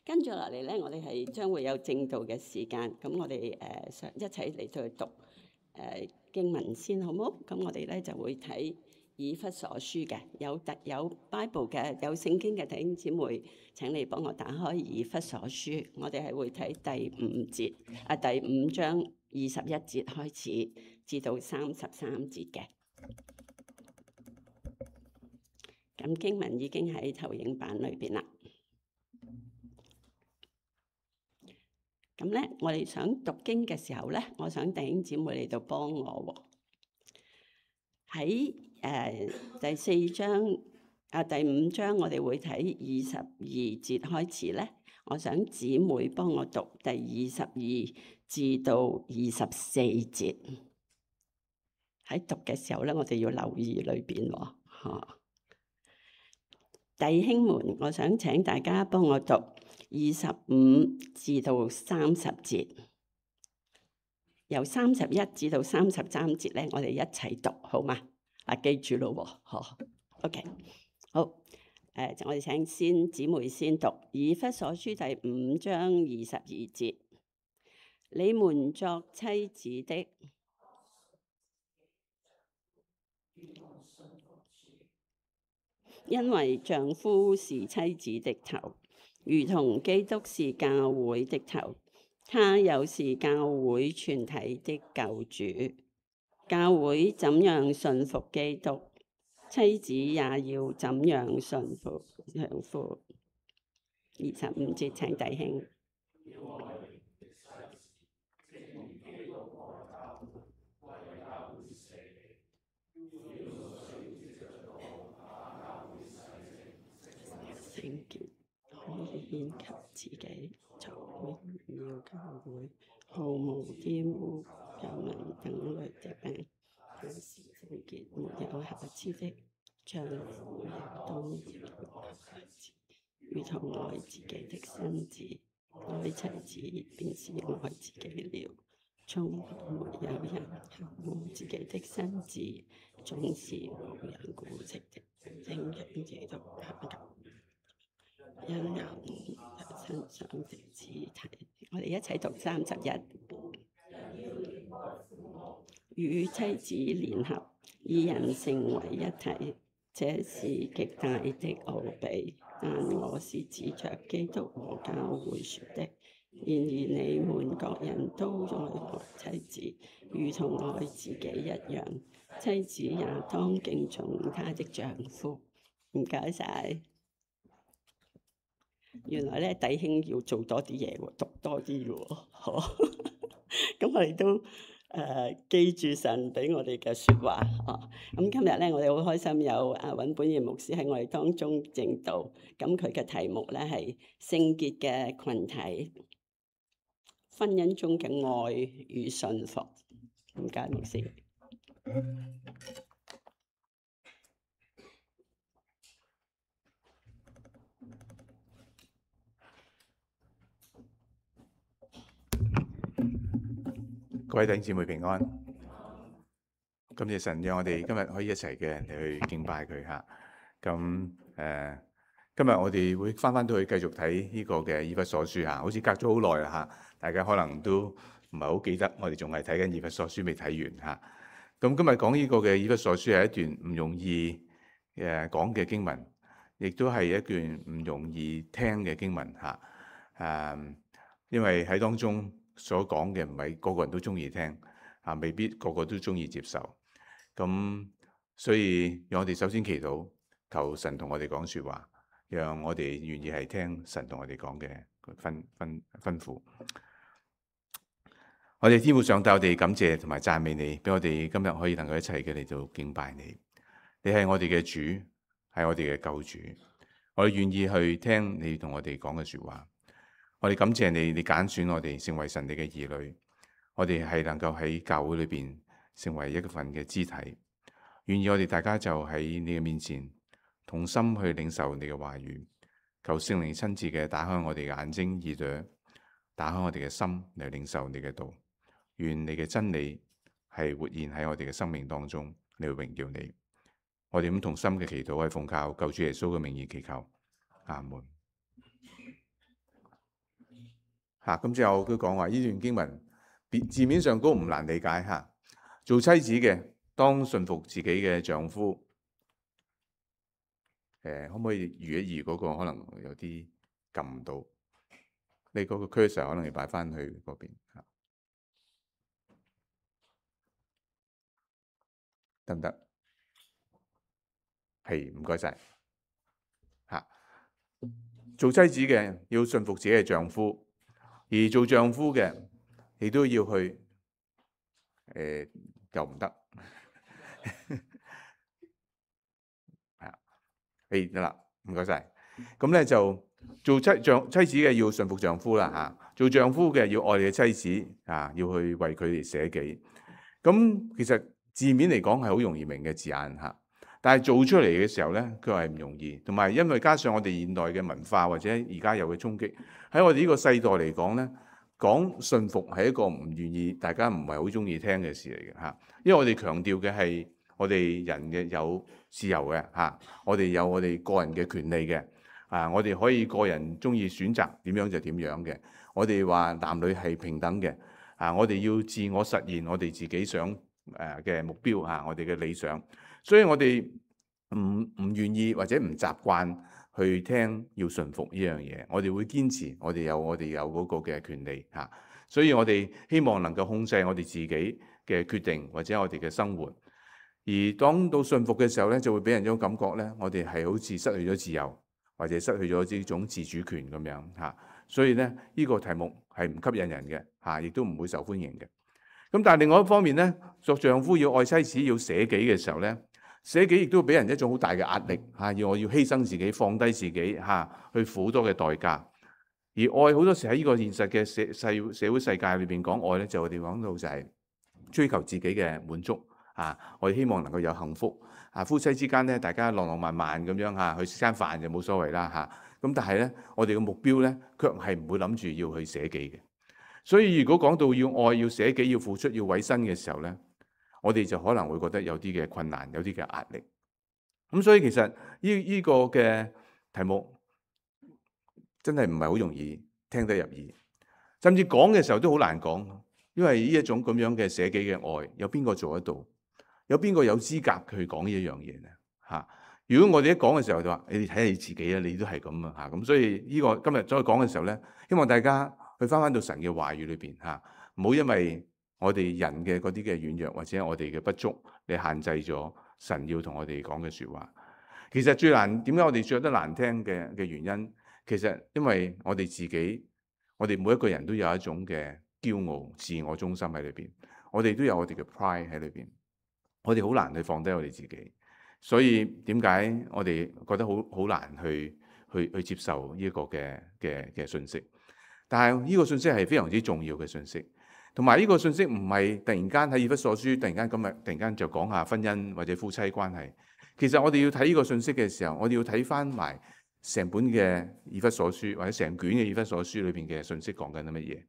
跟住落嚟咧，我哋係將會有正道嘅時間，咁我哋一齊嚟到去讀經文先，好冇？咁我哋咧就會睇以弗所書嘅，有 Bible 嘅，有聖經嘅弟兄姊妹，請你幫我打開以弗所書，我哋係會睇第五章21節開始至到33節嘅。咁經文已經喺投影版裏邊啦。咁咧，我哋想讀經嘅時候咧，我想弟兄姊妹嚟到幫我喎。喺第4章第5章，我哋會睇22節開始咧。我想姊妹幫我讀第22至到24節。喺讀嘅時候咧，我哋要留意裏邊喎。弟兄們，我想請大家幫我讀25至到30節，由31至到33節咧，我哋一齊讀好嗎？記住咯喎，OK， 好，我哋請姊妹先讀以弗所書第5章22節，你們作妻子的，因為丈夫是妻子的頭，如同基督是教會的頭，他又是教會全體的救主。教會怎樣順服基督，妻子也要怎樣順服丈夫。25節，請弟兄。聖潔可以獻給自己，作榮耀教會，毫無玷污、有紋等類的病，也是聖潔沒有瑕疵的。丈夫也當愛妻子，如同愛自己的身子，愛妻子便是愛自己了。從來沒有人恨惡自己的身子，總是無人顧惜的，正像基督享受，因有他身上的肢體。我哋一齊讀31，與妻子聯合，二人成為一體，這是極大的奧秘。但我是指着基督和教會說的。然而你們各人都愛妻子，如同愛自己一樣。妻子也當敬重她的丈夫。唔該晒。原來咧，弟兄要做多啲嘢喎，讀多啲嘅喎，咁我哋都記住神俾我哋嘅説話。咁今日咧，我哋好開心有尹本賢牧師喺我哋當中證道。咁佢嘅題目咧係聖潔嘅群體，婚姻中嘅愛與信服。唔該，牧師。各位弟兄姊妹平安，感謝神讓我哋今日可以一齊嘅嚟去敬拜佢嚇。咁今日我哋會翻到去繼續睇呢個嘅以弗所書嚇，好似隔咗好耐啦嚇，大家可能都唔係好記得，我哋仲係睇緊以弗所書未睇完嚇。咁今日講呢個嘅以弗所書係一段唔容易講嘅經文，亦都係一段唔容易聽嘅經文嚇。因為喺當中所講嘅唔係個個人都中意聽，未必個個都中意接受。咁所以讓我哋首先祈禱，求神同我哋講說話，讓我哋願意係聽神同我哋講嘅吩咐。我哋天父上帝，我哋感謝同埋讚美你，俾我哋今日可以能夠一齊嘅嚟到敬拜你。你係我哋嘅主，係我哋嘅救主。我哋願意去聽你同我哋講嘅說話。我哋感謝你，你揀選我哋成為神你嘅兒女，我哋係能夠喺教會裏邊成為一份嘅肢體，願意我哋大家就喺你嘅面前同心去領受你嘅話語，求聖靈親自嘅打開我哋嘅眼睛耳朵，打開我哋嘅心嚟領受你嘅道，願你嘅真理係活現喺我哋嘅生命當中，嚟榮耀你。我哋咁同心嘅祈禱係奉靠救主耶穌嘅名義祈求，阿門。咁之後都講話呢段經文字面上都唔難理解嚇。做妻子嘅當順服自己嘅丈夫。可唔可以移一移嗰個？可能有啲撳唔到。你嗰個 cursor 可能要擺翻去嗰邊嚇，得唔得？係，唔該晒嚇。做妻子嘅要順服自己嘅丈夫，而做丈夫嘅亦都要去又唔得嚇。得啦，唔該晒。咁咧就做妻子嘅要順服丈夫啦嚇，做丈夫嘅要愛你嘅妻子啊，要去為佢哋捨己。咁其實字面嚟講係好容易明嘅字眼嚇，但係做出嚟嘅時候咧，佢係唔容易。同埋因為加上我哋現代嘅文化或者而家有嘅衝擊，喺我哋呢個世代嚟講咧，講順服係一個唔願意，大家唔係好中意聽嘅事嚟嘅嚇。因為我哋強調嘅係我哋人嘅有自由嘅嚇，我哋有我哋個人嘅權利嘅。我哋可以個人中意選擇點樣就點樣嘅。我哋話男女係平等嘅。我哋要自我實現我哋自己想嘅目標嚇，我哋嘅理想。所以我哋唔願意或者唔習慣去聽要順服呢樣嘢。我哋會堅持我哋有嗰個嘅權利嚇。所以我哋希望能夠控制我哋自己嘅決定或者我哋嘅生活。而當到順服嘅時候咧，就會俾人一種感覺咧，我哋係好似失去咗自由，或者失去咗呢種自主權咁樣嚇。所以咧，呢個題目係唔吸引人嘅嚇，亦都唔會受歡迎嘅。咁但係另外一方面咧，作丈夫要愛妻子要捨己嘅時候咧，捨己亦都俾人一種好大嘅壓力嚇，要我要犧牲自己、放低自己嚇，去付好多嘅代價。而愛好多時喺呢個現實嘅社會世界裏邊講愛咧，就我哋講到就係追求自己嘅滿足我哋希望能夠有幸福夫妻之間咧，大家浪浪漫漫咁樣去食餐飯就冇所謂啦咁但係咧，我哋嘅目標咧，卻係唔會諗住要去捨己嘅。所以如果講到要愛、要捨己、要付出、要委身嘅時候咧，我哋就可能會覺得有啲嘅困難、有啲嘅壓力。咁所以其實呢個嘅題目真係唔係好容易聽得入耳，甚至講嘅時候都好難講，因為呢一種咁樣嘅捨己嘅愛，有邊個做得到？有邊個有資格去講呢一樣嘢咧？如果我哋一講嘅時候就話，你哋睇下你自己啊，你都係咁啊咁所以呢個今日再講嘅時候咧，希望大家去翻到神嘅話語裏邊唔好因為我哋人嘅嗰啲嘅軟弱或者我哋嘅不足，你限制咗神要同我哋講嘅說話。其實最難，點解我哋覺得難聽嘅原因，其實因為我哋自己，我哋每一個人都有一種嘅驕傲、自我中心喺裏邊，我哋都有我哋嘅 pride 喺裏邊，我哋好難去放低我哋自己。所以點解我哋覺得好難去接受呢一個嘅信息？但係呢個信息係非常之重要嘅信息，同埋呢個信息唔係突然間喺以弗所書突然間就講下婚姻或者夫妻關係。其實我哋要睇呢個信息嘅時候，我哋要睇翻埋成本嘅以弗所書或者成卷嘅以弗所書裏邊嘅信息講緊啲乜嘢，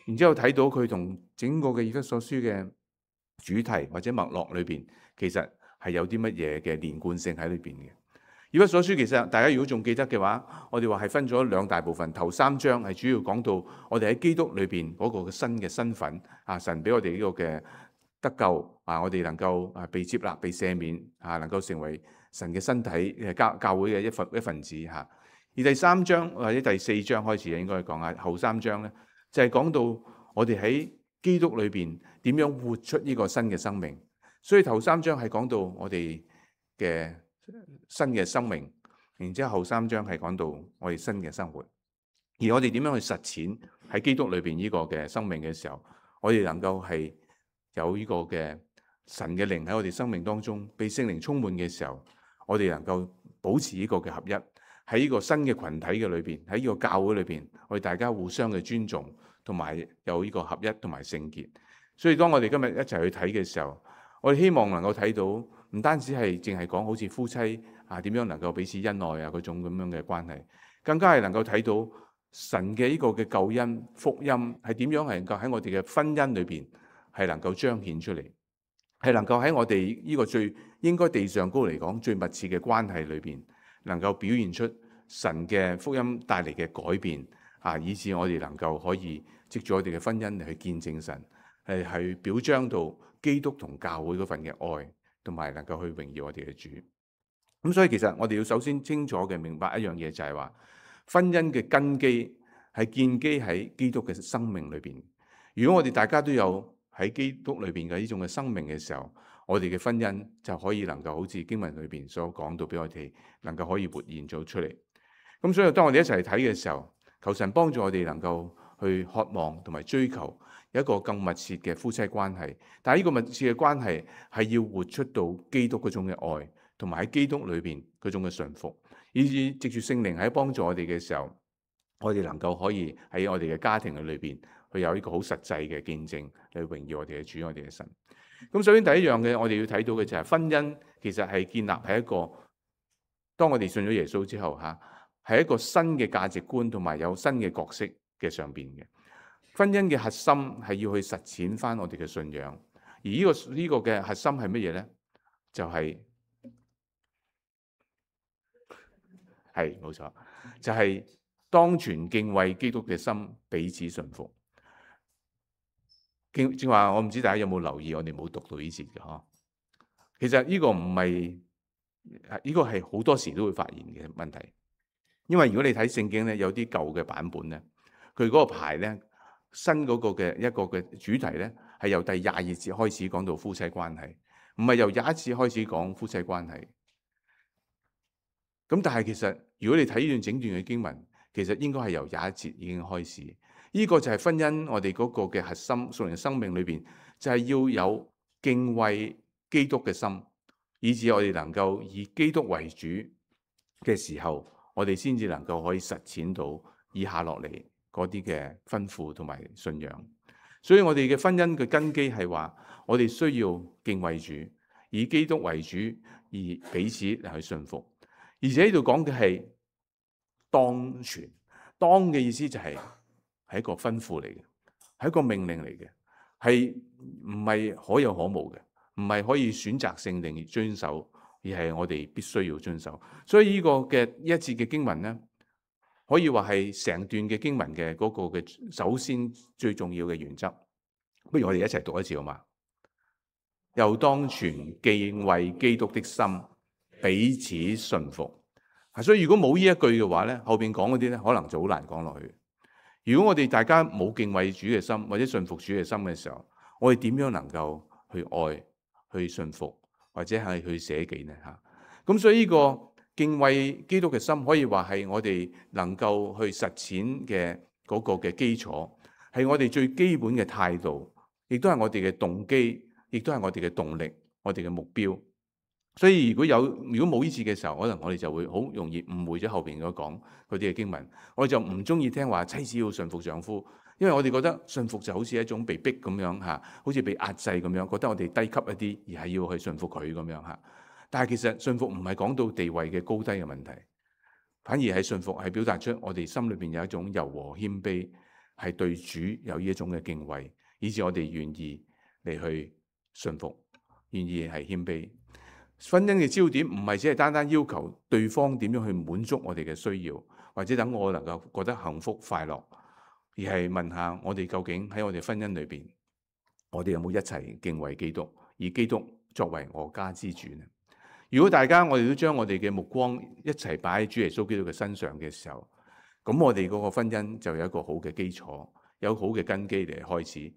然之後睇到佢同整個嘅以弗所書嘅主題或者脈絡裏邊，其實係有啲乜嘢嘅連貫性喺裏邊嘅。以弗所書其實大家如果仲記得嘅話，我哋話係分咗兩大部分。頭3章係主要講到我哋喺基督裏邊嗰個新嘅身份神俾我哋呢個嘅得救我哋能夠被接納、被赦免能夠成為神嘅身體教會嘅一份子而第3章或者第4章開始應該講下後3章咧，就係講到我哋喺基督裏邊點樣活出呢個新嘅生命。所以頭3章係講到我哋嘅新嘅生命，然之後後3章係講到我哋新嘅生活，而我哋點樣去實踐喺基督裏邊呢個嘅生命嘅時候，我哋能夠係有呢個嘅神嘅靈喺我哋生命當中被聖靈充滿嘅時候，我哋能夠保持呢個嘅合一喺呢個新嘅群體嘅裏邊，喺呢個教會裏邊，我哋大家互相嘅尊重，同埋有呢個合一同埋聖潔。所以當我哋今日一齊去睇嘅時候，我哋希望能夠睇到唔單止係淨係講好似夫妻點樣能夠彼此恩愛嗰種咁樣嘅關係，更加係能夠睇到神嘅呢個嘅救恩福音係點樣係能夠喺我哋嘅婚姻裏邊係能夠彰顯出嚟，係能夠喺我哋呢個最應該地上高嚟講最密切嘅關係裏邊，能夠表現出神嘅福音帶嚟嘅改變以致我哋能夠可以藉住我哋嘅婚姻嚟去見證神，去表彰到基督同教會嗰份嘅愛，同埋能夠去榮耀我哋嘅主。咁所以其實我哋要首先清楚嘅明白一樣嘢，就係話婚姻嘅根基係建基喺基督嘅生命裏邊。如果我哋大家都有喺基督裏邊嘅呢種嘅生命嘅時候，我哋嘅婚姻就可以能夠好似經文裏邊所講到俾我哋能夠可以活現咗出嚟。咁所以當我哋一齊睇嘅時候，求神幫助我哋能夠去渴望同埋追求有一個更密切嘅夫妻關係。但係呢個密切嘅關係係要活出到基督嗰種嘅愛，同埋喺基督裏邊嗰種嘅順服，以至藉住聖靈喺幫助我哋嘅時候，我哋能夠可以喺我哋嘅家庭嘅裏邊去有一個好實際嘅見證嚟榮耀我哋嘅主，我哋嘅神。咁首先第一樣嘅我哋要睇到嘅就係婚姻其實係建立喺一個，當我哋信咗耶穌之後係一個新嘅價值觀同埋有新嘅角色嘅上邊嘅。婚姻嘅核心係要去實踐翻我哋嘅信仰，而呢個嘅核心係乜嘢呢？就係冇錯，就係當存敬畏基督嘅心，彼此順服。正話我唔知大家有冇留意，我哋冇讀到呢節嘅嗬。其實呢個唔係，呢個係好多時都會發現嘅問題。因為如果你睇聖經咧，有啲舊嘅版本咧，佢嗰個牌咧，新嗰個嘅一個嘅主題咧，係由第22節開始講到夫妻關係，唔係由21節開始講夫妻關係。咁但係其實如果你睇呢段整段嘅經文，其實應該係由21節已經開始。呢個就係婚姻我哋嗰個嘅核心，屬靈生命裏邊就係要有敬畏基督嘅心，以致我哋能夠以基督為主嘅時候，我哋先至能夠可以實踐到以下落嚟嗰啲嘅吩咐同埋信仰。所以我哋嘅婚姻嘅根基係話，我哋需要敬畏主，以基督為主，而彼此嚟去順服。而且呢度講嘅係當存，當嘅意思就係一個吩咐嚟嘅，係一個命令嚟嘅，係唔係可有可無嘅，唔係可以選擇性定遵守，而係我哋必須要遵守。所以呢個嘅一節嘅經文咧，可以話係成段嘅經文嘅嗰個嘅首先最重要嘅原則。不如我哋一齊讀一次好嘛？又當存敬畏基督的心，彼此順服。所以如果冇呢一句嘅話咧，後邊講嗰啲咧，可能就好難講落去。如果我哋大家冇敬畏主嘅心，或者順服主嘅心嘅時候，我哋點樣能夠去愛、去順服，或者係去捨己呢？咁所以呢個敬畏基督嘅心，可以話係我哋能夠去實踐嘅嗰個嘅基礎，係我哋最基本嘅態度，亦都係我哋嘅動機，亦都係我哋嘅動力，我哋嘅目標。所以如果冇呢次嘅時候，可能我哋就會好容易誤會咗後邊嗰講嗰啲嘅經文。我哋就唔中意聽話妻子要順服丈夫，因為我哋覺得順服就好似一種被逼咁樣好似被壓制咁樣，覺得我哋低級一啲，而係要去順服佢咁樣。但係其實順服唔係講到地位嘅高低嘅問題，反而係順服係表達出我哋心裏邊有一種柔和謙卑，係對主有呢一種嘅敬畏，以致我哋願意嚟去順服，願意係謙卑。婚姻嘅焦點唔係只係單單要求對方點樣去滿足我哋嘅需要，或者等我能夠覺得幸福快樂，而係問下我哋究竟喺我哋婚姻裏邊，我哋有冇一齊敬畏基督，以基督作為我家之主呢？如果大家我哋都將我哋嘅目光一齊擺喺主耶穌基督嘅身上嘅時候，咁我哋嗰個婚姻就有一個好嘅基礎，有好嘅根基嚟開始。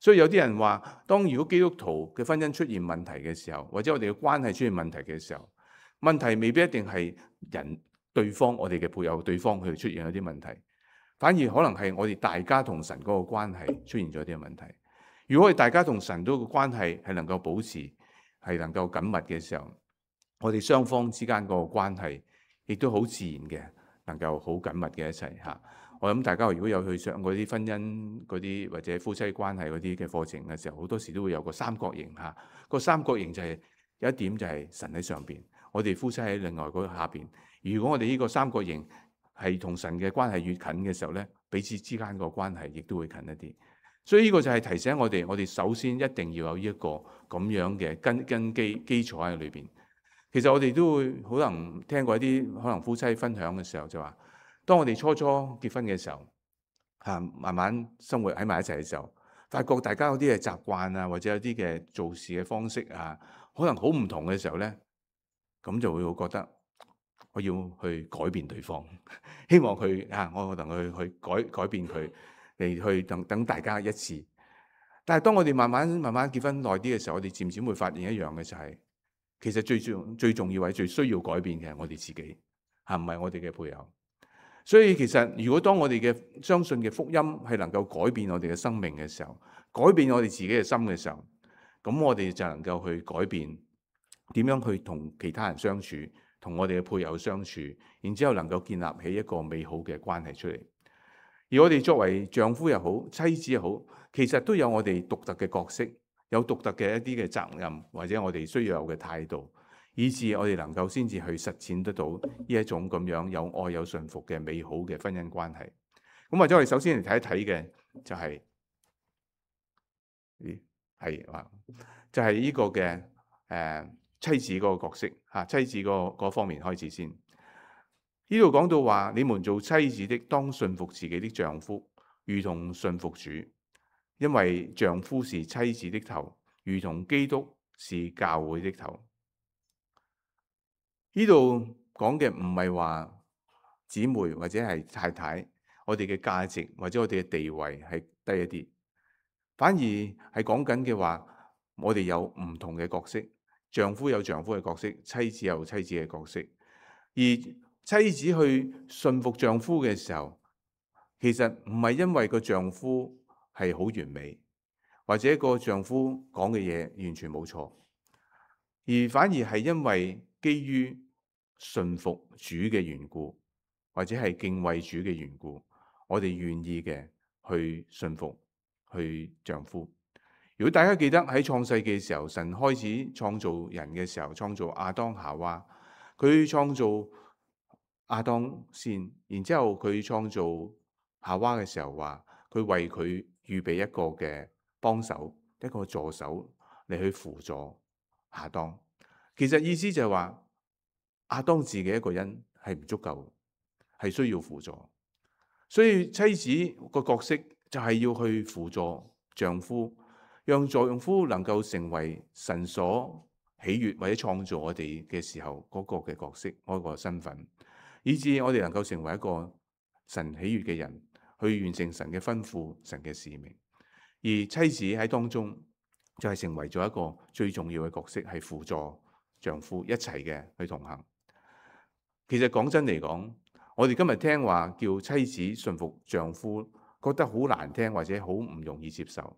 所以有啲人話，當如果基督徒嘅婚姻出現問題嘅時候，或者我哋嘅關係出現問題嘅時候，問題未必一定係對方我哋嘅配偶對方佢哋出現一啲問題，反而可能係我哋大家同神嗰個關係出現咗啲問題。如果我哋大家同神嗰個關係係能夠保持係能夠緊密嘅時候，我哋雙方之間嗰個關係亦都好自然嘅，能夠好緊密嘅一齊嚇。我諗大家如果有去上嗰啲婚姻嗰啲或者夫妻關係嗰啲嘅課程嘅時候，好多時都會有個三角形嚇。個三角形就係有一點就係神喺上邊，我哋夫妻喺另外嗰下邊。如果我哋呢個三角形係同神嘅關係越近嘅時候咧，彼此之間個關係亦都會近一啲。所以呢個就係提醒我哋首先一定要有呢一個咁樣嘅根基礎喺裏邊。其實我哋都會可能聽過一啲可能夫妻分享嘅時候就話，當我哋初結婚嘅時候，慢慢生活喺埋一齊嘅時候，發覺大家有啲嘅習慣啊，或者有啲嘅做事嘅方式啊，可能好唔同嘅時候咧，咁就會覺得我要去改變對方，希望佢我同佢去改變佢，嚟去等大家一致。但係當我哋慢慢結婚耐啲嘅時候，我哋漸漸會發現一樣嘅就係，其實最重要或者最需要改變嘅係我哋自己，唔係我哋嘅配偶。所以其實如果當我哋嘅相信嘅福音係能夠改變我哋嘅生命嘅時候，改變我哋自己嘅心嘅時候，咁我哋就能夠去改變點樣去同其他人相處，同我哋嘅配偶相處，然之後能夠建立起一個美好嘅關係出嚟。而我哋作為丈夫又好，妻子又好，其實都有我哋獨特嘅角色，有獨特嘅一啲嘅責任，或者我哋需要有嘅態度，以致我哋能夠先至去實踐得到呢一種咁樣有愛有順服嘅美好嘅婚姻關係。咁或者我哋首先嚟睇一睇嘅就係就係呢個嘅妻子嗰個角色妻子嗰方面開始先。呢度講到話，你們做妻子的當順服自己的丈夫，如同順服主，因為丈夫是妻子的頭，如同基督是教會的頭。呢度講嘅唔係話姊妹或者係太太，我哋嘅價值或者我哋嘅地位係低一啲，反而係講緊嘅話，我哋有唔同嘅角色，丈夫有丈夫嘅角色，妻子有妻子嘅角色。而妻子去順服丈夫嘅時候，其實唔係因為個丈夫係好完美，或者個丈夫講嘅嘢完全冇錯，而反而係因為基於順服主嘅緣故，或者係敬畏主嘅緣故，我哋願意嘅去順服去丈夫。如果大家記得喺創世記嘅時候，神開始創造人嘅時候，創造亞當夏娃，佢創造亞當先，然之後佢創造夏娃嘅時候話，佢為佢預備一個嘅幫手，一個助手嚟去輔助亞當。其實意思就係話，亞當自己一個人係唔足夠，係需要輔助。所以妻子個角色就係要去輔助丈夫，讓丈夫能夠成為神所喜悅或者創造我哋嘅時候嗰個嘅角色，嗰個身份，以致我哋能夠成為一個神喜悅嘅人，去完成神嘅吩咐、神嘅使命。而妻子喺當中就係成為咗一個最重要嘅角色，係輔助丈夫一齊嘅去同行。其實講真嚟講，我哋今日聽話叫妻子順服丈夫，覺得好難聽或者好唔容易接受。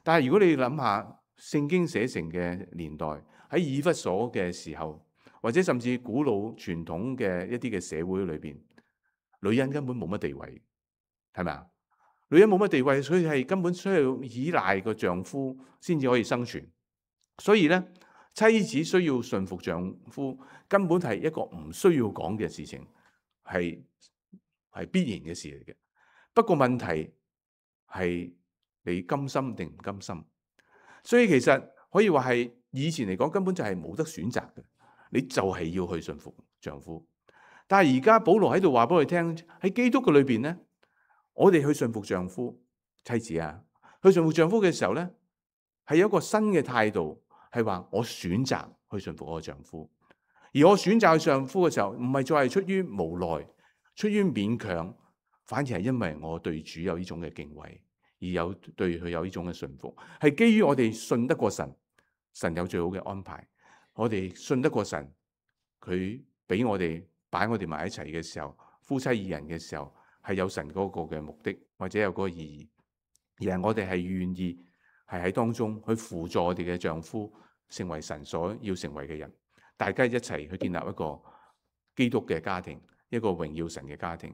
但係如果你諗下聖經寫成嘅年代，喺以弗所嘅時候，或者甚至古老傳統嘅一啲嘅社會裏邊，女人根本冇乜地位，係咪啊？女人冇乜地位，所以係根本需要依賴個丈夫先至可以生存。所以咧，妻子需要順服丈夫，根本係一個唔需要講嘅事情，係必然嘅事嚟嘅。不過問題係你甘心定唔甘心？所以其實可以話係以前嚟講根本就係冇得選擇嘅，你就係要去順服丈夫。但係而家保羅喺度話俾我哋聽，喺基督嘅裏邊咧，我哋去順服丈夫、妻子去順服丈夫嘅時候咧，係有一個新嘅態度，係話我選擇去順服我嘅丈夫。而我選擇去丈夫嘅時候，唔係再係出於無奈、出於勉強，反而係因為我對主有呢種嘅敬畏，而對佢有呢種嘅順服，係基於我哋信得過神，神有最好嘅安排。我哋信得過神，佢俾我哋擺我哋埋一齊嘅時候，夫妻二人嘅時候，係有神嗰個嘅目的或者有嗰個意義，而係我哋係願意係喺當中去輔助我哋嘅丈夫成為神所要成為嘅人，大家一齊去建立一個基督嘅家庭，一個榮耀神嘅家庭。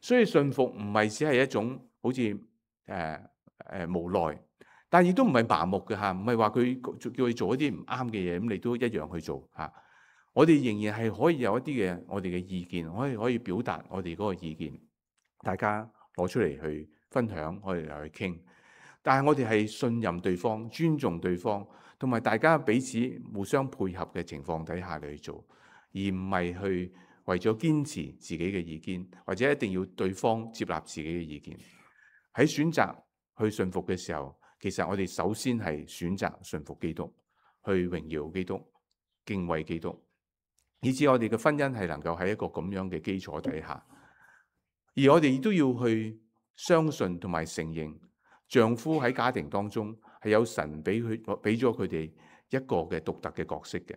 所以順服唔係只係一種好似無奈，但係亦都唔係麻木嘅唔係話佢叫佢做一啲唔啱嘅嘢，咁你都一樣去做我哋仍然係可以有一啲嘅我哋嘅意見，可以表達我哋嗰個意見，大家攞出嚟去分享，我哋嚟去傾。但係我哋係信任對方、尊重對方，同埋大家彼此互相配合嘅情況底下嚟去做，而唔係去為咗堅持自己嘅意見，或者一定要對方接納自己嘅意見。喺選擇去信服嘅時候，其實我哋首先係選擇信服基督，去榮耀基督、敬畏基督，以致我哋嘅婚姻係能夠喺一個咁樣嘅基礎底下。而我哋亦都要去相信同埋承認，丈夫喺家庭當中係有神俾咗佢哋一個嘅獨特嘅角色嘅。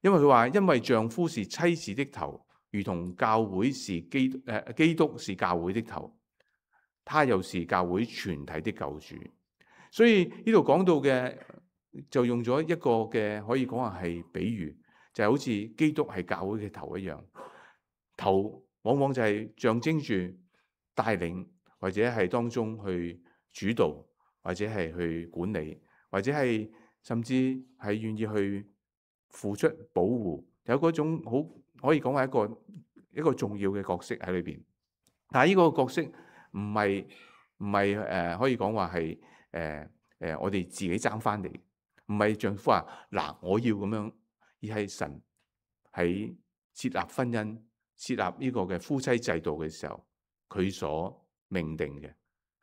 因為佢話，因為丈夫是妻子的頭，如同教會是基督是教會的頭，他又是教會全體的救主。所以呢度講到嘅就用咗一個嘅可以講話係比喻，就係好似基督係教會嘅頭一樣。頭往往就係象徵住帶領，或者係當中去主導，或者係去管理，或者係甚至係願意去付出保護，有嗰種好可以講係一個重要嘅角色喺裏邊。但係呢個角色唔係可以講話係我哋自己爭翻嚟，唔係丈夫話嗱我要咁樣，而係神喺設立婚姻、設立呢個嘅夫妻制度嘅時候，佢所命定嘅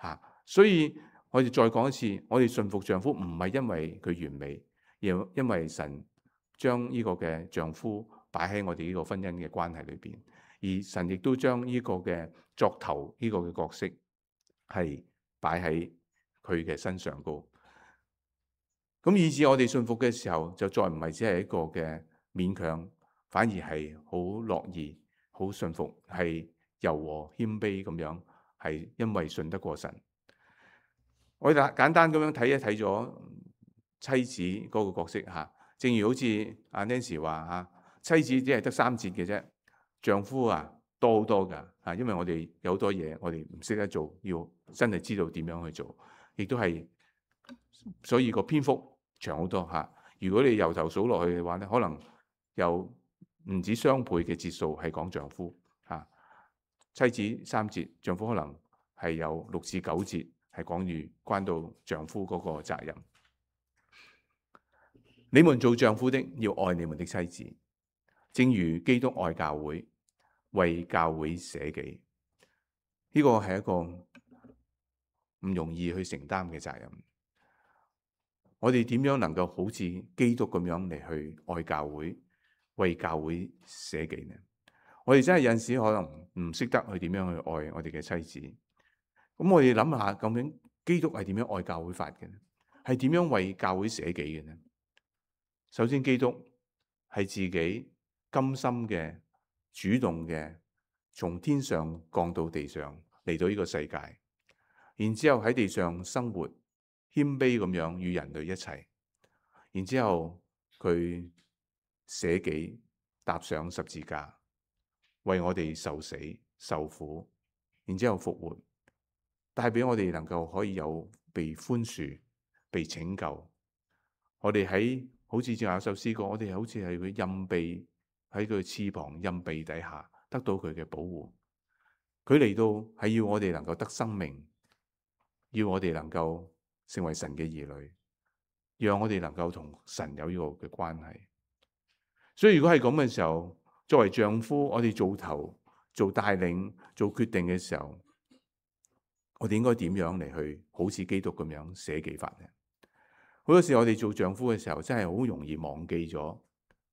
嚇。所以我哋再講一次，我哋順服丈夫唔係因為佢完美，而因為神將呢個嘅丈夫擺喺我哋呢個婚姻嘅關係裏邊，而神亦都將呢個嘅作頭呢個嘅角色係擺喺佢嘅身上高。咁以至我哋順服嘅時候，就再唔係只係一個嘅勉強，反而係好樂意、好順服，係柔和謙卑咁樣，係因為信得過神。我哋簡單咁樣睇一睇咗妻子嗰個角色嚇。正如好似阿 Nancy 話嚇，妻子只係得3節嘅啫，丈夫啊多好多㗎嚇。因為我哋有好多嘢我哋唔識得做，要真係知道點樣去做，亦都係所以個篇幅長好多嚇。如果你由頭數落去嘅話咧，可能有唔止雙倍嘅節數係講丈夫嚇。妻子3節，丈夫可能係有6至9節係關到丈夫嗰個責任。你們做丈夫的要愛你們的妻子，正如基督愛教會，為教會捨己。呢個係一個唔容易去承擔嘅責任。我哋點樣能夠好似基督咁樣嚟去愛教會，為教會捨己呢？我哋真係有陣時可能唔識得去點樣去愛我哋嘅妻子。咁我哋諗下，究竟基督係點樣愛教會法嘅呢？係點樣為教會捨己嘅呢？首先，基督係自己甘心嘅、主動嘅，從天上降到地上嚟到呢個世界，然之後喺地上生活，謙卑咁樣與人類一齊，然之後佢捨己，踏上十字架，為我哋受死受苦，然之後復活，帶俾我哋能夠可以有被寬恕、被拯救。我哋喺好似正有首詩歌，我哋好似係佢蔭庇喺佢翅膀蔭庇底下得到佢嘅保護。佢嚟到係要我哋能夠得生命，要我哋能夠成為神嘅兒女，讓我哋能夠同神有呢個嘅關係。所以如果係咁嘅時候，作為丈夫，我哋做頭、做帶領、做決定嘅時候，我哋應該點樣嚟去好似基督咁樣捨己法呢？好多時我哋做丈夫嘅時候，真係好容易忘記咗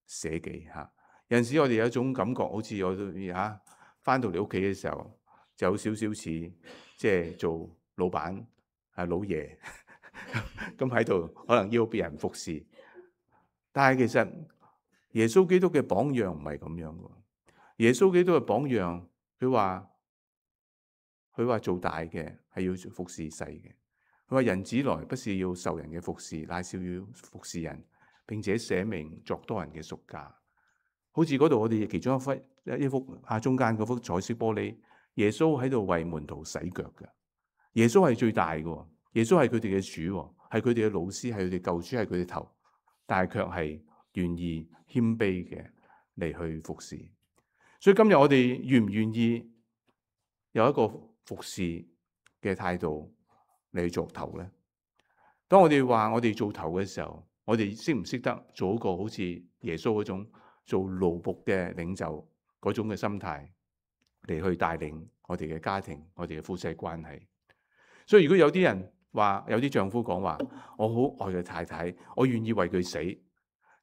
捨己嚇。有陣時我哋有一種感覺，好似我哋返到嚟屋企嘅時候，就有少少似即係做老闆老爺咁喺度，可能要別人服侍。但係其實耶穌基督嘅榜樣唔係咁樣嘅。耶穌基督嘅榜樣，佢話做大嘅係要服侍細嘅。佢話人子來不是要受人嘅服侍，乃是要服侍人，並且捨命作多人嘅贖價。好似嗰度我哋其中一幅中間嗰幅彩色玻璃，耶穌喺度為門徒洗腳嘅。耶穌係最大嘅，耶穌係佢哋嘅主，係佢哋嘅老師，係佢哋救主，係佢哋頭，但係卻係願意謙卑嘅嚟去服侍。所以今日我哋願唔願意有一個服侍嘅態度嚟做頭呢？當我哋話我哋做頭嘅時候，我哋識唔識得做一個好似耶穌嗰種做奴僕嘅領袖嗰種嘅心態嚟去帶領我哋嘅家庭、我哋嘅夫妻關係？所以如果有啲人話，有啲丈夫講話，我好愛佢太太，我願意為佢死，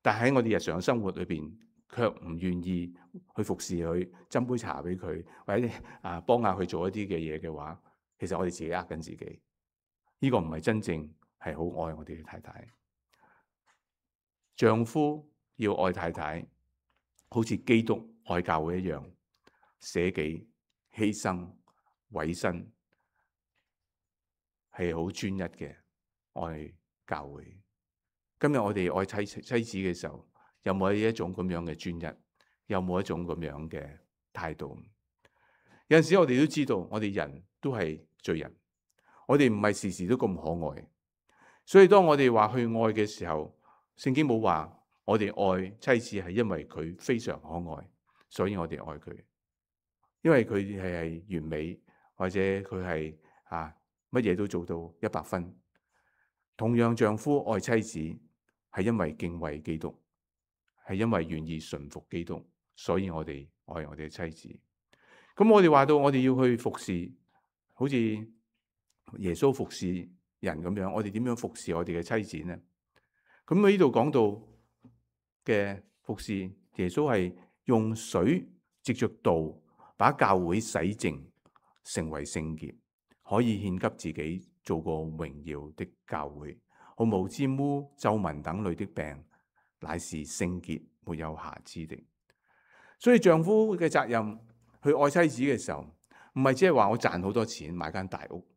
但喺我哋日常生活裏邊，卻唔願意去服侍佢，斟杯茶俾佢，或者幫下佢做一啲嘅嘢嘅話，其實我哋自己呃緊自己。呢個唔係真正係好愛我哋嘅太太。丈夫要愛太太，好似基督愛教會一樣，捨己、犧牲、委身，係好專一嘅愛教會。今日我哋愛妻子嘅時候，有冇一種咁樣嘅專一？有冇一種咁樣嘅態度？有陣時我哋都知道，我哋人都係罪人，我哋唔係時時都咁可愛。所以當我哋話去愛嘅時候，聖經冇話我哋愛妻子係因為佢非常可愛，所以我哋愛佢。因為佢係完美，或者佢係乜嘢都做到100分。同樣，丈夫愛妻子係因為敬畏基督，係因為願意順服基督，所以我哋愛我哋嘅妻子。咁我哋話到我哋要去服侍，好似耶穌服侍人咁樣，我哋點樣服侍我哋嘅妻子呢？咁喺呢度講到嘅服侍，耶穌係用水藉着道把教會洗淨，成為聖潔，可以獻給自己做個榮耀的教會，毫無沾污、皺紋等類的病，乃是聖潔沒有瑕疵的。所以丈夫嘅責任去愛妻子嘅時候，唔係只係話我賺好多錢買間大屋，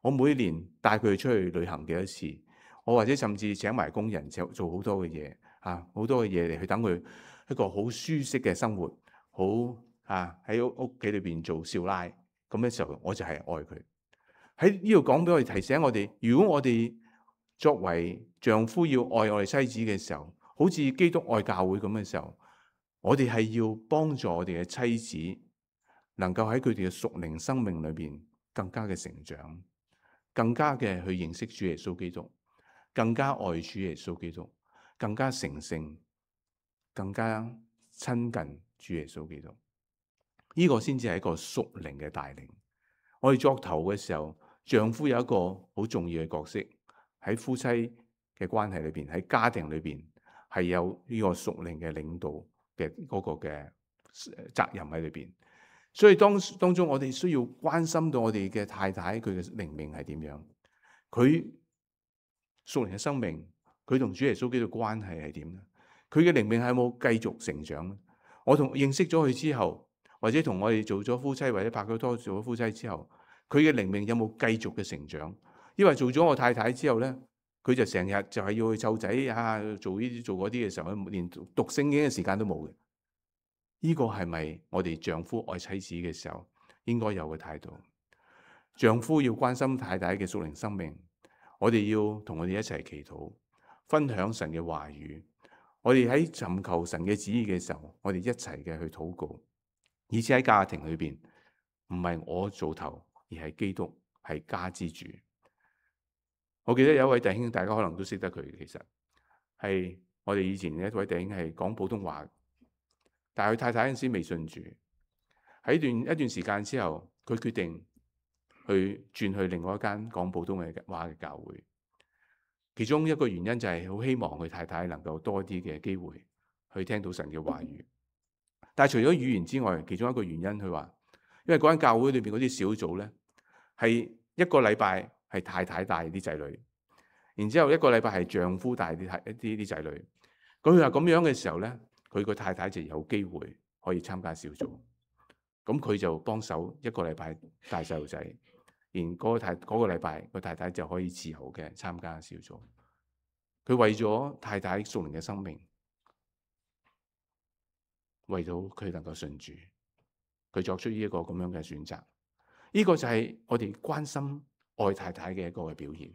我每年帶佢出去旅行幾多次，我或者甚至請埋工人做好多嘅嘢，好多嘅嘢嚟去等佢一個好舒適嘅生活，好喺屋企裏邊做少奶，咁嘅時候我就係愛佢。喺呢度講俾我哋提醒我哋，如果我哋作為丈夫要愛我哋妻子嘅時候，好似基督愛教會咁嘅時候，我哋係要幫助我哋嘅妻子，能夠喺佢哋嘅屬靈生命裏邊更加嘅成長，更加嘅去認識主耶穌基督，更加愛主耶穌基督，更加成聖，更加親近主耶穌基督。呢個先至係一個屬靈嘅帶領。我哋作頭嘅時候，丈夫有一個好重要嘅角色，喺夫妻嘅關係裏邊，喺家庭裏邊係有呢個屬靈嘅領導嘅嗰個嘅責任喺裏邊。所以當中我哋需要關心到我哋嘅太太，佢嘅靈命係點樣，佢屬靈嘅生命，佢同主耶穌基督嘅關係係點咧？佢嘅靈命係冇繼續成長咧？我認識咗佢之後，或者同我哋做咗夫妻，或者拍咗拖做咗夫妻之後，佢嘅靈命有冇繼續嘅成長？因為做咗我太太之後咧，佢就成日就係要去湊仔做呢啲做嗰啲嘅時候，連讀聖經嘅時間都冇嘅。呢個係咪我哋丈夫愛妻子嘅時候應該有嘅態度？丈夫要關心太太嘅屬靈生命，我哋要同我哋一齊祈禱，分享神嘅話語。我哋喺尋求神嘅旨意嘅時候，我哋一齊嘅去禱告，而且喺家庭裏邊唔係我做頭，而係基督係家之主。我記得有一位弟兄，大家可能都識得佢，其實係我哋以前一位弟兄係講普通話，但係佢太太嗰陣時未信主，喺一段時間之後，佢決定去轉去另外一間講普通話嘅教會。其中一個原因就係好希望佢太太能夠多啲嘅機會去聽到神嘅話語。但係除咗語言之外，其中一個原因佢話，因為嗰間教會裏邊嗰啲小組咧，係一個禮拜係太太帶啲仔女，然之後一個禮拜係丈夫帶啲仔女。佢話咁樣嘅時候咧，佢個太太就有機會可以參加小組。咁佢就幫手一個禮拜帶細路仔。然嗰個禮拜，個太太就可以自由嘅參加小組。佢為咗太太屬靈嘅生命，為到佢能夠信主，佢作出呢一個咁樣嘅選擇。呢個就係我哋關心愛太太嘅一個嘅表現，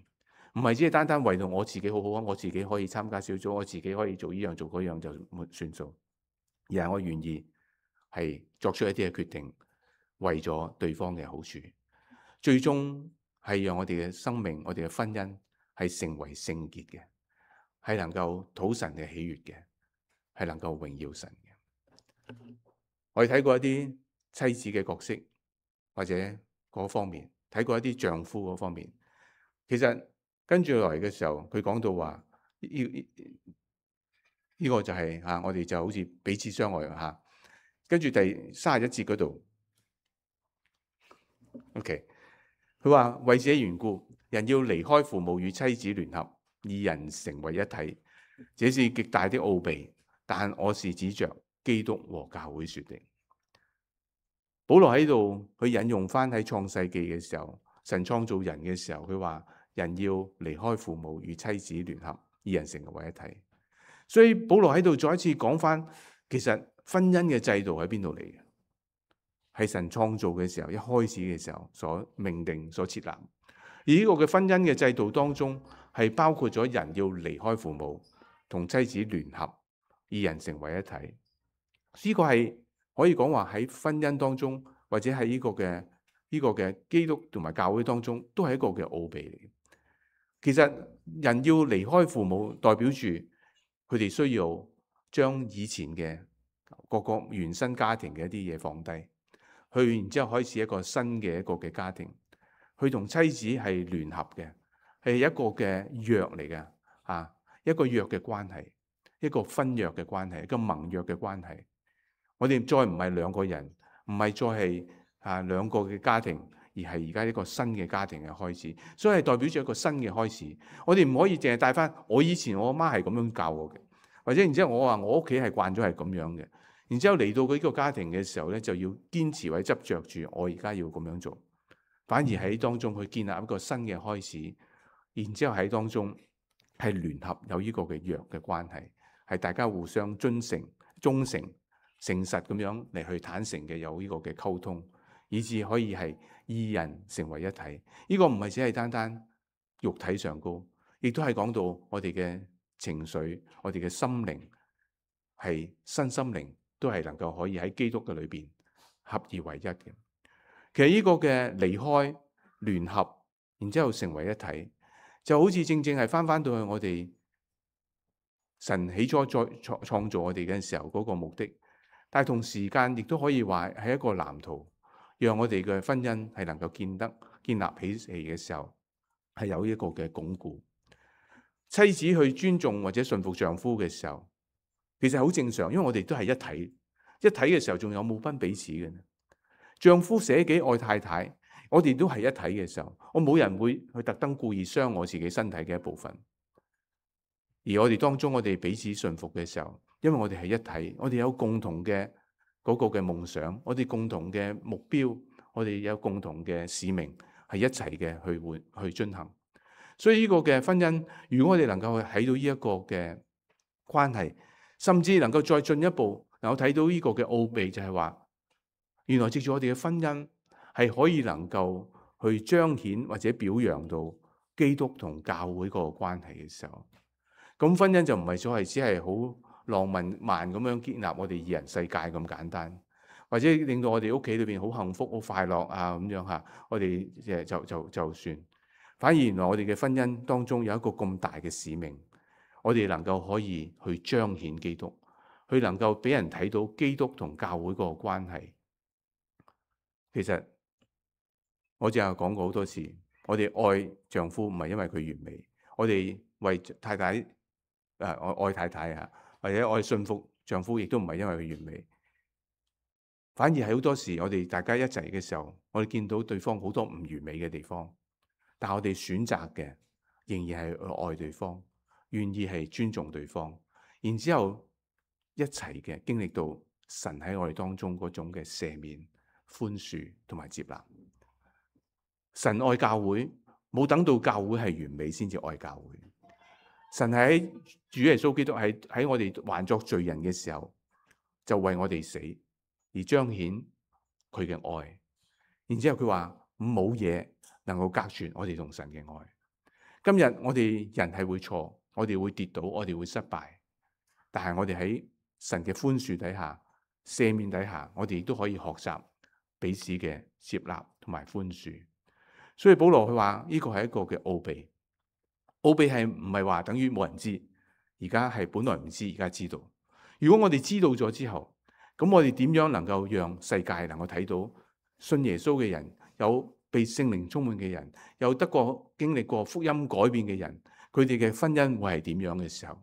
唔係只係單單為到我自己好好啊，我自己可以參加小組，我自己可以做呢樣做嗰樣就算數，而係我願意係作出一啲嘅決定，為咗對方嘅好處。最終係讓我哋嘅生命、我哋嘅婚姻係成為聖潔嘅，係能夠討神嘅喜悅嘅，係能夠榮耀神嘅。我哋睇過一啲妻子嘅角色或者嗰方面，睇過一啲丈夫嗰方面。其實跟住落嚟嘅時候，佢講到話呢個就係我哋就好似彼此相愛嚇。跟住第31節嗰度 ，OK， 佢話為這緣故，人要離開父母與妻子聯合，二人成為一體。這是極大的奧秘，但我是指着基督和教會說的。保羅喺度去引用翻喺創世記嘅時候，神創造人嘅時候，佢話人要離開父母與妻子聯合，二人成為一體。所以保羅喺度再一次講翻，其實婚姻嘅制度喺邊度嚟嘅？係神創造嘅時候，一開始嘅時候所命定、所設立。而呢個嘅婚姻嘅制度當中，係包括咗人要離開父母，同妻子聯合，二人成為一體。呢個係可以講話喺婚姻當中，或者喺呢個嘅基督同埋教會當中，都係一個嘅奧秘嚟。其實人要離開父母，代表住佢哋需要將以前嘅各個原生家庭嘅一啲嘢放低，去然之後開始一個新嘅一個嘅家庭，去同妻子係聯合嘅，係一個嘅約嚟嘅，一個約嘅關係，一個婚約嘅關係，一個盟約嘅關係。我哋再唔係兩個人，唔係再係兩個嘅家庭，而係而家一個新嘅家庭嘅開始，所以係代表住一個新嘅開始。我哋唔可以淨係帶翻我以前我阿媽係咁樣教我嘅，或者然之後我話我屋企係慣咗係咁樣嘅，然之後嚟到佢呢個家庭嘅時候咧，就要堅持或者執着住我而家要咁樣做，反而喺當中去建立一個新嘅開始，然之後喺當中係聯合有呢個嘅約嘅關係，係大家互相忠誠、誠實咁樣嚟去坦誠嘅有呢個嘅溝通，以至可以係二人成為一體。呢個唔係只係單單肉體上高，亦都係講到我哋嘅情緒、我哋嘅心靈，係身心靈都係能夠可以喺基督嘅裏邊合而為一嘅。其實呢個嘅離開聯合，然之後成為一體，就好似正正係翻到去我哋神起初再創造我哋嘅時候嗰個目的。但係同時間亦都可以話係一個藍圖，讓我哋嘅婚姻係能夠建立起嚟嘅時候，係有一個嘅鞏固。妻子去尊重或者順服丈夫嘅時候，其實好正常，因為我哋都係一體。一體嘅時候，仲有冇分彼此嘅呢？丈夫捨己愛太太，我哋都係一體嘅時候，我冇人會去特登故意傷我自己身體嘅一部分。而我哋當中，我哋彼此順服嘅時候，因為我哋係一體，我哋有共同嘅嗰個嘅夢想，我哋共同嘅目標，我哋有共同嘅使命，係一齊嘅去進行。所以呢個嘅婚姻，如果我哋能夠睇到呢一個嘅關係，甚至能夠再進一步，能夠睇到呢個嘅奧秘，就係話，原來藉住我哋嘅婚姻係可以能夠去彰顯或者表揚到基督同教會嗰個關係嘅時候。咁婚姻就唔係所謂只係好浪漫咁樣建立我哋二人世界咁簡單，或者令到我哋屋企裏邊好幸福、好快樂啊咁樣嚇，我哋就算。反而原來我哋嘅婚姻當中有一個咁大嘅使命，我哋能夠可以去彰顯基督，去能夠俾人睇到基督同教會嗰個關係。其實我淨係講過好多次，我哋愛丈夫唔係因為佢完美，我哋為太太。愛太太啊，或者愛信服丈夫，亦都唔係因為佢完美，反而係好多時我哋大家一齊嘅時候，我哋見到對方好多唔完美嘅地方，但我哋選擇嘅仍然係愛對方，願意係尊重對方，然之後一齊嘅經歷到神喺我哋當中嗰種嘅赦免、寬恕同埋接納。神愛教會，冇等到教會係完美先至愛教會。神喺主耶穌基督喺我哋還作罪人嘅時候，就為我哋死，而彰顯佢嘅愛。然之後佢話冇嘢能夠隔絕我哋同神嘅愛。今日我哋人係會錯，我哋會跌倒，我哋會失敗，但係我哋喺神嘅寬恕底下、赦免底下，我哋亦都可以學習彼此嘅接納同埋寬恕。所以保羅佢話呢個係一個嘅奧秘。奧秘係唔係話等於冇人知，而家係本來唔知，而家知道。如果我哋知道咗之後，咁我哋點樣能夠讓世界能夠睇到信耶穌嘅人有被聖靈充滿嘅人，有得過經歷過福音改變嘅人，佢哋嘅婚姻會係點樣嘅時候，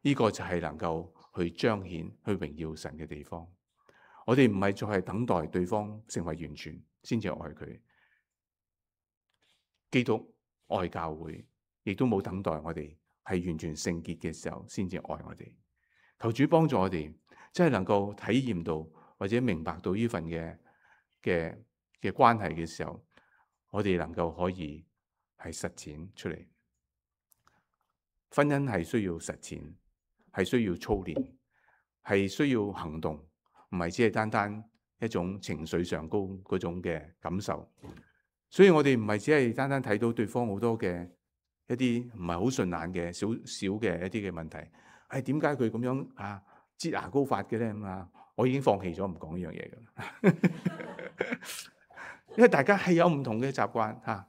呢個就係能夠去彰顯、去榮耀神嘅地方。我哋唔係再係等待對方成為完全先至愛佢。基督愛教會，亦都冇等待我哋係完全聖潔嘅時候先至愛我哋。求主幫助我哋，真係能夠體驗到或者明白到呢份嘅關係嘅時候，我哋能夠可以係實踐出嚟。婚姻係需要實踐，係需要操練，係需要行動，唔係只係單單一種情緒上高嗰種嘅感受。所以我哋唔係只係單單睇到對方好多嘅一啲唔係好順眼嘅小嘅一啲嘅問題。點解佢咁樣擠牙膏法嘅咧？我已經放棄咗唔講呢樣嘢㗎啦。因為大家係有唔同嘅習慣，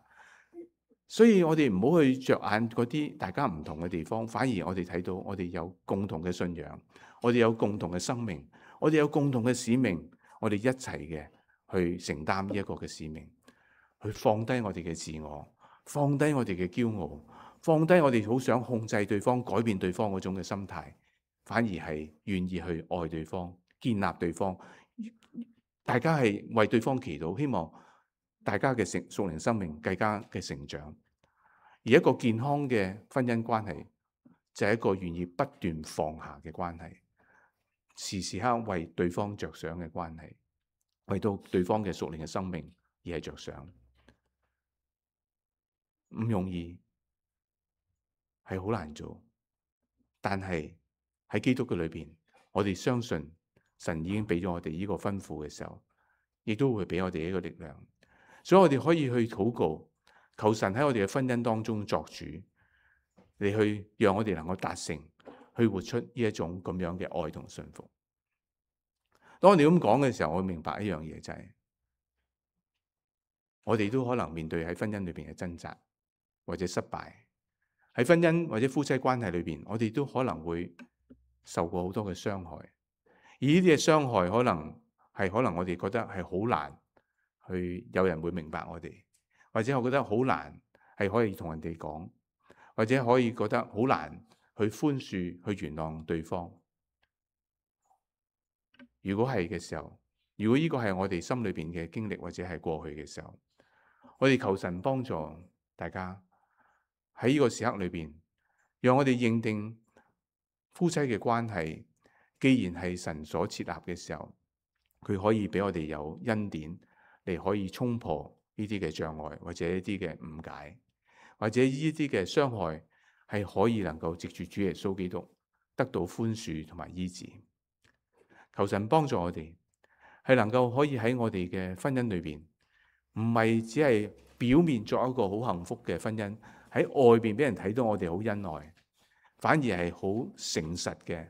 所以我哋唔好去着眼嗰啲大家唔同嘅地方，反而我哋睇到我哋有共同嘅信仰，我哋有共同嘅生命，我哋有共同嘅使命，我哋一齊嘅去承擔呢一個嘅使命，去放低我哋嘅自我，放低我哋嘅驕傲，放低我哋好想控制對方、改變對方嗰種嘅心態，反而係願意去愛對方、建立對方。大家係為對方祈禱，希望大家嘅屬靈生命更加嘅成長。而一個健康嘅婚姻關係，就係一個願意不斷放下嘅關係，時時刻為對方着想嘅關係，為到對方嘅屬靈嘅生命而係着想。唔容易，係好難做，但係喺基督嘅裏邊，我哋相信神已經俾咗我哋呢個吩咐嘅時候，亦都會俾我哋一個力量，所以我哋可以去禱告，求神喺我哋嘅婚姻當中作主，嚟去讓我哋能夠達成，去活出呢一種咁樣嘅愛同信服。當我哋咁講嘅時候，我明白一樣嘢就係，我哋都可能面對喺婚姻裏邊嘅掙扎或者失敗，喺婚姻或者夫妻關係裏邊，我哋都可能會受過好多嘅傷害，而呢啲嘅傷害可能我哋覺得係好難去有人會明白我哋，或者我覺得好難係可以同人哋講，或者可以覺得好難去寬恕、去原諒對方。如果係嘅時候，如果呢個係我哋心裏邊嘅經歷或者係過去嘅時候，我哋求神幫助大家喺呢個時刻裏邊，讓我哋認定夫妻嘅關係，既然係神所設立嘅時候，佢可以俾我哋有恩典嚟可以衝破呢啲嘅障礙，或者一啲嘅誤解，或者呢啲嘅傷害係可以能夠藉住主耶穌基督得到寬恕同埋醫治。求神幫助我哋，係能夠可以喺我哋嘅婚姻裏邊，唔係只係表面作一個好幸福嘅婚姻，喺外邊俾人睇到我哋好恩愛，反而係好誠實嘅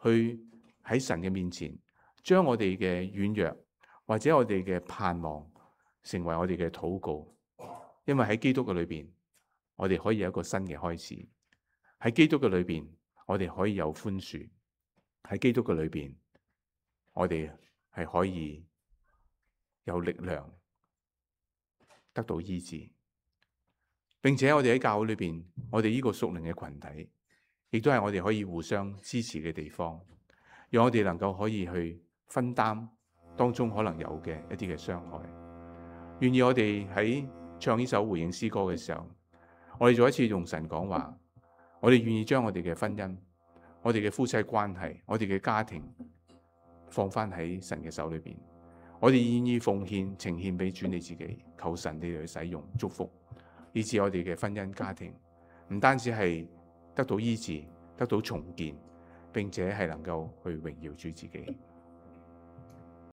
去喺神嘅面前，將我哋嘅軟弱或者我哋嘅盼望成為我哋嘅禱告。因為喺基督嘅裏邊，我哋可以有一個新嘅開始。喺基督嘅裏邊，我哋可以有寬恕。喺基督嘅裏邊，我哋係可以有力量得到醫治，並且我哋喺教會裏邊，我哋呢個屬靈嘅群體，亦都係我哋可以互相支持嘅地方，讓我哋能夠可以去分擔當中可能有嘅一啲嘅傷害。願意我哋喺唱呢首回應詩歌嘅時候，我哋再一次用神講話，我哋願意將我哋嘅婚姻、我哋嘅夫妻關係、我哋嘅家庭放翻喺神嘅手裏邊，我哋願意奉獻呈獻俾主你自己，求神你哋去使用祝福，以致我哋嘅婚姻家庭唔單止係得到醫治、得到重建，並且係能夠去榮耀主自己。